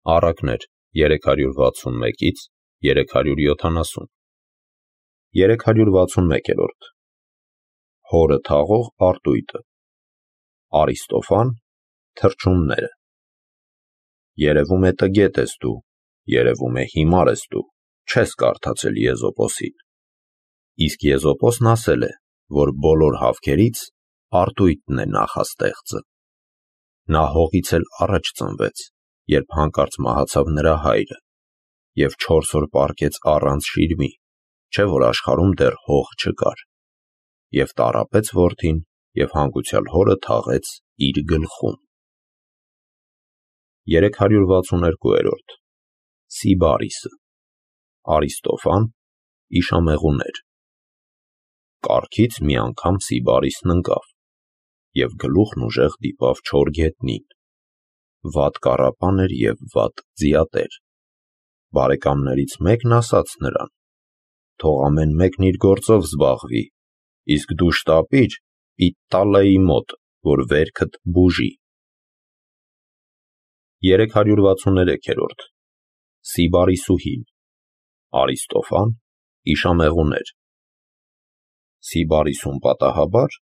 Առակներ 361-ից 370 361-րդ Հորը թաղող արտույտը Արիստոֆան Թռչունները Երևում է տգետ ես դու, երևում է հիմար ես դու, չես կարդացել Եզոպոսին։ Իսկ Եզոպոսն ասել է, որ բոլոր հավքերից արտույտն է նախաստեղծը։ Նա հողից էլ առաջ ծնվեց, երբ հանկարծ մահացավ նրա հայրը, և 4 օր պառկեց առանց շիրմի, չէ որ աշխարհում դեռ հող չկար, և տառապեց որդին և հանգուցյալ հորը թաղեց իր գլխում։ 362-րդ Սիբարիսը Արիստոֆան Իշամեղուներ Կառքից մի անգամ Սիբարիսն ընկավ, և գլուխն ուժեղ դիպավ չոր գետնին, վատ կառապան էր և վատ ձիատեր։ Բարեկամներից մեկն ասաց նրան. թող ամեն մեկն իր գործով զբաղվի, իսկ դու շտապիր Պիտտալեի մոտ, որ վերքդ բուժի։ 363-րդ Սիբարիսուհին Արիստոֆան Իշամեղուներ Սիբարիսուն պատահաբար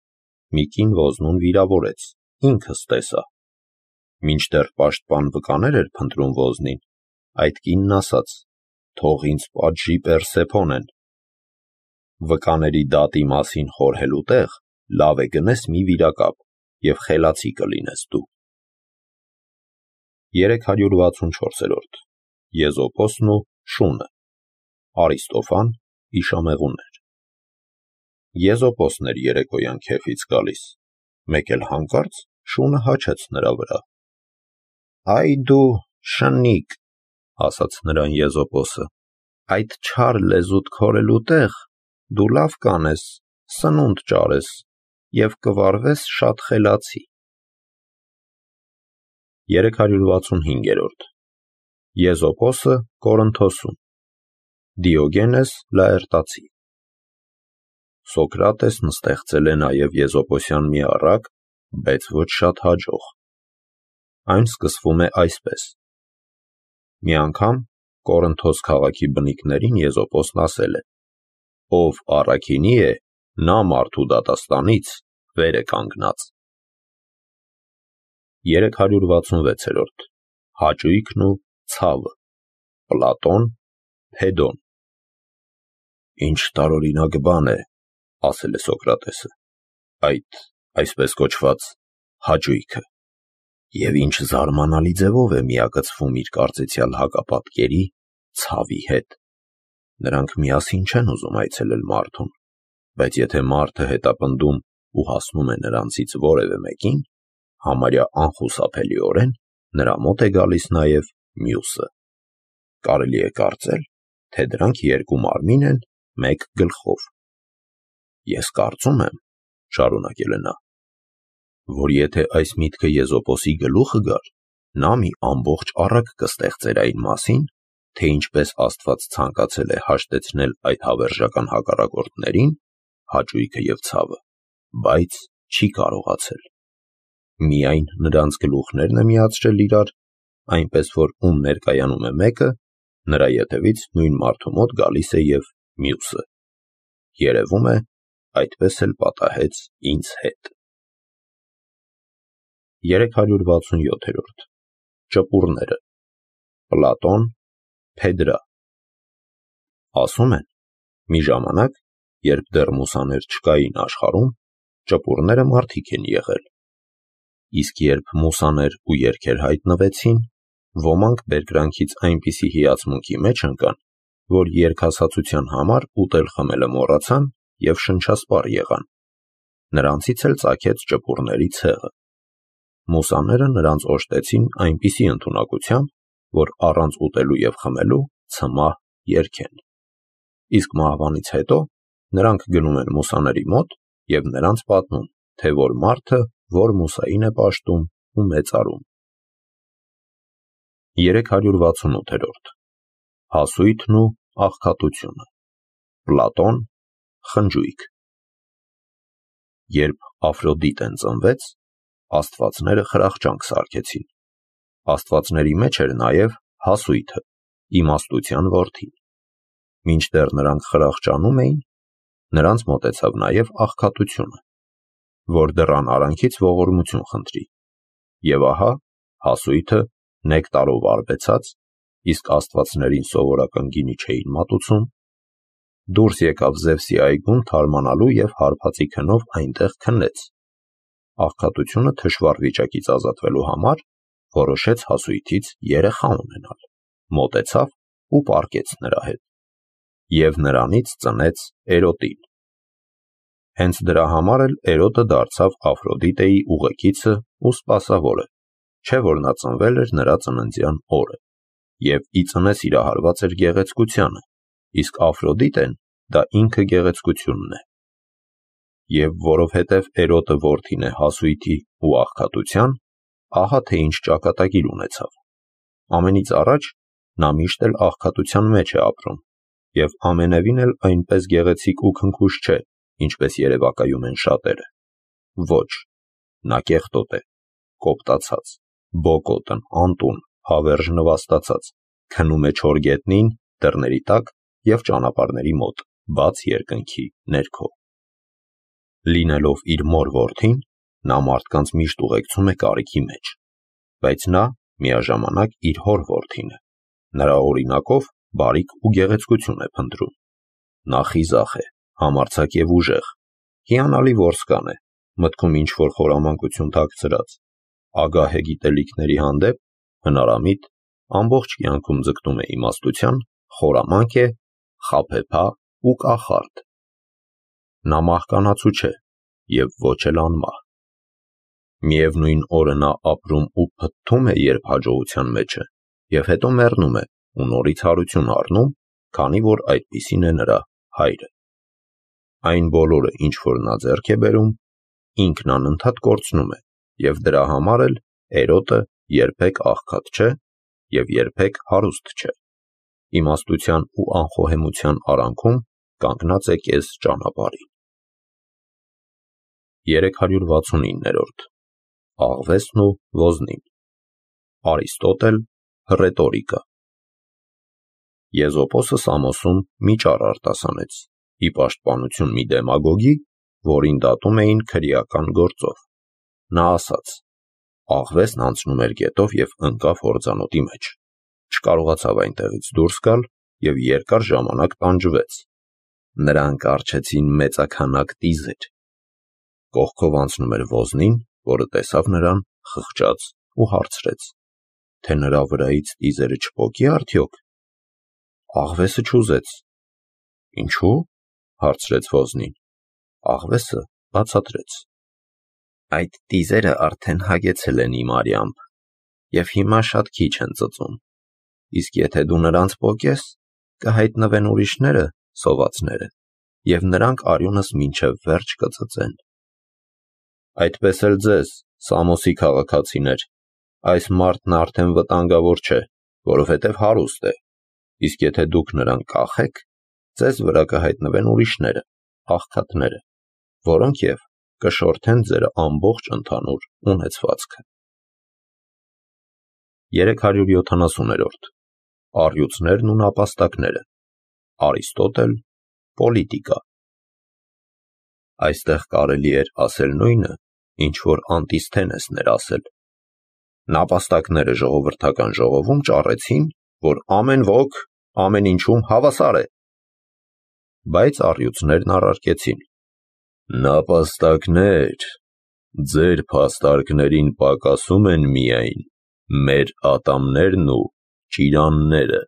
մի կին ոզնուն վիրավորեց, ինքս տեսա։ Մինչդեռ պաշտպան վկաներ էր փնտրում ոզնին, այդ կինն ասաց. թող ինձ պատժի Պերսեփոնեն։ Վկաների դատի մասին խորհելու տեղ լավ է գնես մի վիրակապ և խելացի կլինես դու։ 364-րդ Եզոպոսն ու շունը Արիստոֆան Իշամեղուներ Եզոպոսն էր երեկոյան քեֆից գալիս, մեկ էլ հանկարծ շունը հաչեց նրա վրա։ Այ դու շնիկ, ասաց նրան Եզոպոսը, այդ չար լեզուդ քորելու տեղ դու լավ կանես, սնունդ ճարես և կվարվես շատ խելացի։ 365-րդ Եզոպոսը Կորինթոսում Դիոգենես Լաերտացի Սոկրատեսն ստեղծել է նաև եզոպոսյան մի առակ, բայց ոչ շատ հաջող։ Այն սկսվում է այսպես. մի անգամ Կորինթոս քաղաքի բնիկներին Եզոպոսն ասել է. ով առաքինի է, նա մարդու դատաստանից վեր է կանգնած։ 366-րդ Հաճույքն ու ցավը Պլատոն Փեդոն Ինչ տարօրինակ բան է, ասել է Սոկրատեսը, այդ այսպես կոչված հաճույքը, և ինչ զարմանալի ձևով է միակցվում իր կարծեցյալ հակապատկերի ցավի հետ։ Նրանք միասին չեն ուզում այցելել մարդուն, բայց եթե մարդը հետապնդում ու հասնում է նրանցից որևէ մեկին, համարյա անխուսափելիորեն նրա մոտ է գալիս նաև մյուսը։ Կարելի է կարծել, թե դրանք երկու մարմին են մեկ գլխով։ Ես կարծում եմ, շարունակել է նա, որ եթե այս միտքը Եզոպոսի գլուխը գար, նա մի ամբողջ առակ կստեղծեր այն մասին, թե ինչպես Աստված ցանկացել է հաշտեցնել այդ հավերժական հակառակորդներին, հաճույքը և ցավը, բայց չի կարողացել։ Միայն նրանց գլուխներն է միացրել իրար, այնպես որ ում ներկայանում է մեկը, նրա ետևից նույն մարդու մոտ գալիս է և մյուսը։ Երևում է, այդպես էլ պատահեց ինձ հետ։ 367-րդ Ճպուռները Պլատոն Փեդրա Ասում են, մի ժամանակ, երբ դեռ մուսաներ չկային աշխարհում, ճպուռները մարդիկ են եղել։ Իսկ երբ մուսաներ ու երգեր հայտնվեցին, ոմանք բերկրանքից այնպիսի հիացմունքի մեջ ընկան, որ երգասացության համար ուտել խմելը մոռացան և շնչասպառ եղան։ Նրանցից էլ ծագեց ճպուռների ցեղը։ Մուսաները նրանց օժտեցին այնպիսի ընդունակությամբ, որ առանց ուտելու և խմելու ցմահ երգեն։ Իսկ մահվանից հետո նրանք գնում են մուսաների մոտ և նրանց պատմում, թե որ մարդը որ մուսային է պաշտում ու մեծարում։ 368-րդ Հասույթն ու աղքատությունը Պլատոն Խնջույք Երբ Աֆրոդիտեն ծնվեց, աստվածները խրախճանք սարքեցին։ Աստվածների մեջ էր նաև հասույթը, իմաստության որդին։ Մինչդեռ նրանք խրախճանում էին, նրանց մոտեցավ նաև աղքատությունը, որ դռան արանքից ողորմություն խնդրի։ Եվ ահա, հասույթը նեկտարով արբեցած, իսկ աստվածներին սովորական գինի չէին մատուցում, դուրս եկավ Զևսի այգուն թարմանալու և հարբածի քնով այնտեղ քնեց։ Աղքատությունը թշվառ վիճակից ազատվելու համար որոշեց հասույթից երեխա ունենալ, մոտեցավ ու պառկեց նրա հետ, և նրանից ծնեց Էրոտին։ Հենց դրա համար էլ Էրոտը դարձավ Աֆրոդիտեի ուղեկիցը ու սպասավորը, չէ որ նա ծնվել էր նրա ծննդյան օրը, և ի ծնե սիրահարված էր գեղեցկությանը, իսկ Աֆրոդիտեն դա ինքը գեղեցկությունն է։ Եվ որովհետև Էրոտը որդին է հասույթի ու աղքատության, ահա թե ինչ ճակատագիր ունեցավ։ Ամենից առաջ նա միշտ էլ աղքատության մեջ է ապրում, և ամենևին էլ այնպես գեղեցիկ ու քնքուշ չէ, ինչպես երևակայում են շատերը։ Ոչ, նա կեղտոտ է, կոպտացած, բոկոտն, անտուն, հավերժ նվաստացած, քնում է չոր գետնին, դռների տակ և ճանապարհների մոտ, բաց երկնքի ներքո։ Լինելով իր մոր որդին, նա մարդկանց միշտ ուղեկցում է կարիքի մեջ, բայց նա միաժամանակ իր հոր որդին է, նրա օրինակով բարիք ու գեղեցկություն է փնտրում։ Նա խիզախ է, համարձակ և ուժեղ, հիանալի որսկան է, մտքում ինչ-որ խորամանկություն թաքցրած, ագահ է գիտելիքների հանդեպ, հնարամիտ, ամբողջ կյանքում ձգտում է իմաստության, խորամանկ է, խաբեբա ու կախարդ։ Նա մահկանացու չէ և ոչ էլ անմահ։ Միևնույն օրը նա ապրում ու փթթում է երբ հաջողության մեջ է, և հետո մեռնում է ու նորից հարություն առնում, քանի որ այդպիսին է նրա հայրը։ Այն բոլորը, ինչ որ նա ձեռք է բերում, ինքն անընդհատ կորցնում է, և դրա համար էլ Էրոտը երբեք աղքատ չէ և երբեք հարուստ չէ։ Իմաստության ու անխոհեմության արանքում կանգնած է կես ճանապարհին։ 369-րդ Աղվեսն ու ոզնին։ Արիստոտել, Ռետորիկա։ Եզոպոսը Սամոսում մի ճառ արտասանեց, ի պաշտպանություն մի դեմագոգի, որին դատում էին քրեական գործով։ Նա ասաց. աղվեսն անցնում էր գետով և ընկավ հորձանոթի մեջ, չկարողացավ այնտեղից դուրս գալ և երկար ժամանակ տանջվեց։ Նրան կառչեցին մեծաքանակ տիզեր։ Կողքով անցնում էր ոզնին, որը տեսավ նրան, խղճաց ու հարցրեց, թե նրա վրայից տիզերը չպոկի արդյոք։ Աղվեսը չուզեց։ Ինչու՞, հարցրեց ոզնին։ Աղվեսը բացատրեց. այդ տիզերը արդեն հագեցել են իմ արյամբ, և հիմա շատ քիչ են ծծում, իսկ եթե դու նրանց պոկես, կհայտնվեն ուրիշները, սովածները, և նրանք արյունս մինչև վերջ կծծեն։ Այդպես էլ ձեզ, Սամոսի քաղաքացիներ, այս մարդն արդեն վտանգավոր չէ, որովհետև հարուստ է, իսկ եթե դուք նրան կախեք, ձեզ վրա կհայտնվեն ուրիշները, աղքատները, որոնք և կշորթեն ձեր ամբողջ ընդհանուր ունեցվածքը։ 370-րդ Առյուծներն ու նապաստակները։ Արիստոտել, Պոլիտիկա։ Այստեղ կարելի էր ասել նույնը, ինչ որ Անտիսթենեսն էր ասել։ Նապաստակները ժողովրդական ժողովում ճառեցին, որ ամեն ոք ամեն ինչում հավասար է։ Բայց առյուծներն առարկեցին. նապաստակներ, ձեր փաստարկներին պակասում են միայն մեր ատամներն ու ճիրանները։